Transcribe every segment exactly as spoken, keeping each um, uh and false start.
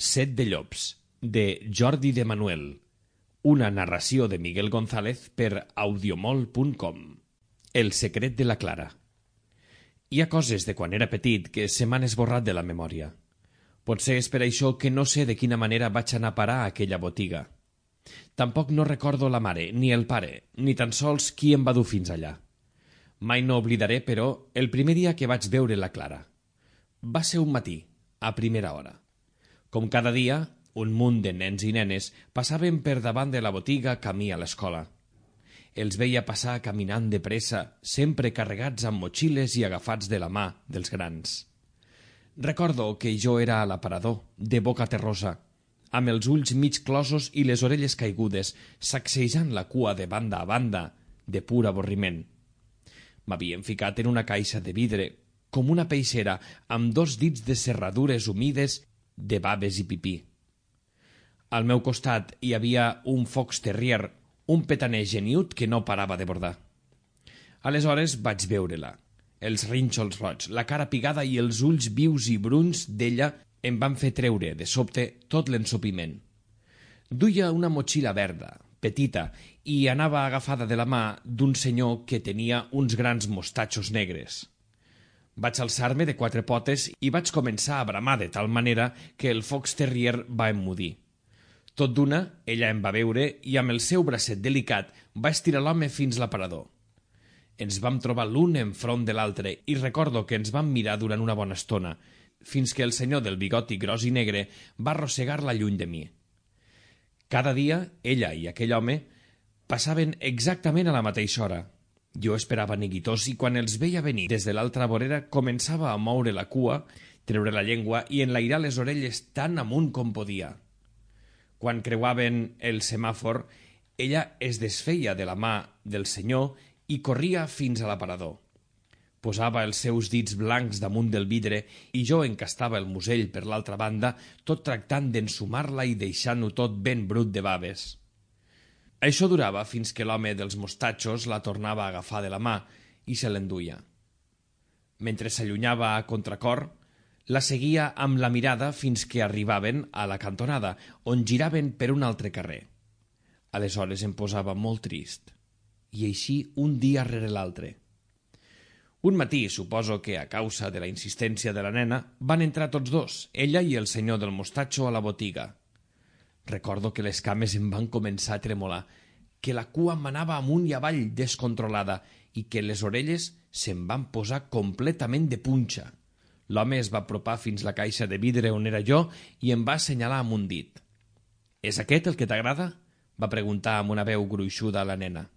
Set de llops, de Jordi de Manuel. Una narració de Miguel González per audiomol punt com. El secret de la Clara. Hi ha coses de quan era petit que se m'han esborrat de la memòria. Potser és per això que no sé de quina manera vaig anar a parar a aquella botiga. Tampoc no recordo la mare, ni el pare, ni tan sols qui em va dur fins allà. Mai no oblidaré, però, el primer dia que vaig veure la Clara. Va ser un matí, a primera hora. Com cada dia, un munt de nens i nenes passaven per davant de la botiga camí a l'escola. Els veia passar caminant de pressa, sempre carregats amb motxilles i agafats de la mà dels grans. Recordo que jo era a l'aparador, de boca terrosa, amb els ulls mig closos i les orelles caigudes, sacsejant la cua de banda a banda, de pur avorriment. M'havien ficat en una caixa de vidre, com una peixera, amb dos dits de serradures humides de baves i pipí. Al meu costat hi havia un fox terrier, un petaner geniut que no parava de bordar. Aleshores vaig veure-la. Els rínxols roig, la cara pigada i els ulls vius i bruns d'ella em van fer treure, de sobte, tot l'ensopiment. Duia una motxilla verda, petita, i anava agafada de la mà d'un senyor que tenia uns grans mostatxos negres. Vaig alçar-me de quatre potes i vaig començar a bramar de tal manera que el fox terrier va emmudir. Tot d'una, ella em va veure i amb el seu bracet delicat va estirar l'home fins l'aparador. Ens vam trobar l'un enfront de l'altre i recordo que ens vam mirar durant una bona estona, fins que el senyor del bigoti gros i negre va arrossegar-la lluny de mi. Cada dia, ella i aquell home passaven exactament a la mateixa hora. Jo esperava neguitós i quan els veia venir des de l'altra vorera començava a moure la cua, treure la llengua i enlairar les orelles tan amunt com podia. Quan creuaven el semàfor, ella es desfeia de la mà del senyor i corria fins a l'aparador. Posava els seus dits blancs damunt del vidre i jo encastava el musell per l'altra banda, tot tractant d'ensumar-la i deixant-ho tot ben brut de baves. Això durava fins que l'home dels mostatxos la tornava a agafar de la mà i se l'enduia. Mentre s'allunyava a contracor, la seguia amb la mirada fins que arribaven a la cantonada, on giraven per un altre carrer. Aleshores em posava molt trist, i així un dia rere l'altre. Un matí, suposo que a causa de la insistència de la nena, van entrar tots dos, ella i el senyor del mostatxo, a la botiga. Recordo que les cames em van començar a tremolar, que la cua m'anava amunt i avall descontrolada i que les orelles se'm van posar completament de punxa. L'home es va apropar fins la caixa de vidre on era jo i em va assenyalar amb un dit. «És aquest el que t'agrada?», va preguntar amb una veu gruixuda a la nena.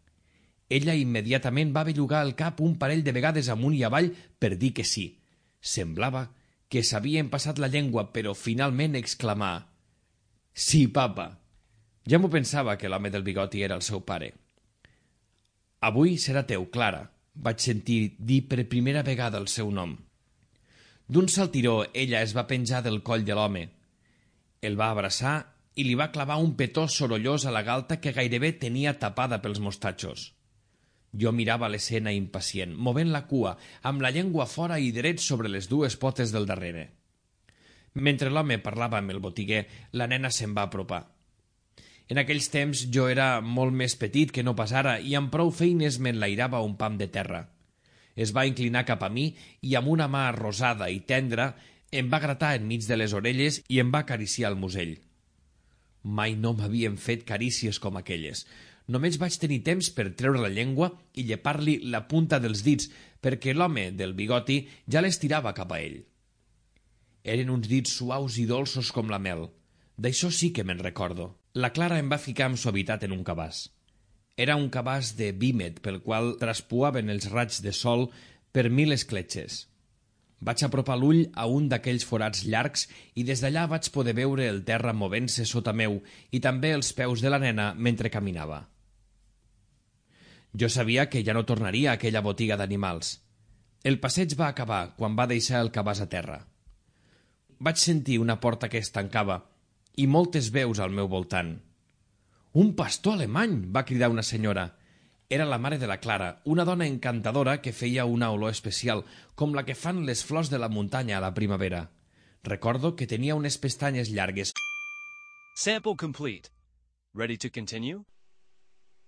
Ella immediatament va bellugar el cap un parell de vegades amunt i avall per dir que sí. Semblava que s'havien passat la llengua, però finalment exclamà: «Sí, papa». Ja m'ho pensava que l'home del bigoti era el seu pare. «Avui serà teu, Clara», vaig sentir dir per primera vegada el seu nom. D'un saltiró ella es va penjar del coll de l'home. El va abraçar i li va clavar un petó sorollós a la galta que gairebé tenia tapada pels mostatxos. Jo mirava l'escena impacient, movent la cua, amb la llengua fora i dret sobre les dues potes del darrere. Mentre l'home parlava amb el botiguer, la nena se'n va apropar. En aquells temps jo era molt més petit que no pas ara i amb prou feines m'enlairava un pam de terra. Es va inclinar cap a mi i amb una mà rosada i tendra em va gratar enmig de les orelles i em va acariciar el musell. Mai no m'havien fet carícies com aquelles. Només vaig tenir temps per treure la llengua i llepar-li la punta dels dits perquè l'home del bigoti ja l'estirava cap a ell. Eren uns dits suaus i dolços com la mel. D'això sí que me'n recordo. La Clara em va ficar amb suavitat en un cabàs. Era un cabàs de vímet pel qual traspuaven els raigs de sol per mil escletxes. Vaig apropar l'ull a un d'aquells forats llargs i des d'allà vaig poder veure el terra movent-se sota meu i també els peus de la nena mentre caminava. Jo sabia que ja no tornaria a aquella botiga d'animals. El passeig va acabar quan va deixar el cabàs a terra. Vaig sentir una porta que es tancava i moltes veus al meu voltant. «Un pastor alemany!», va cridar una senyora. Era la mare de la Clara, una dona encantadora que feia una olor especial, com la que fan les flors de la muntanya a la primavera. Recordo que tenia unes pestanyes llargues. Sample complete. Ready to continue?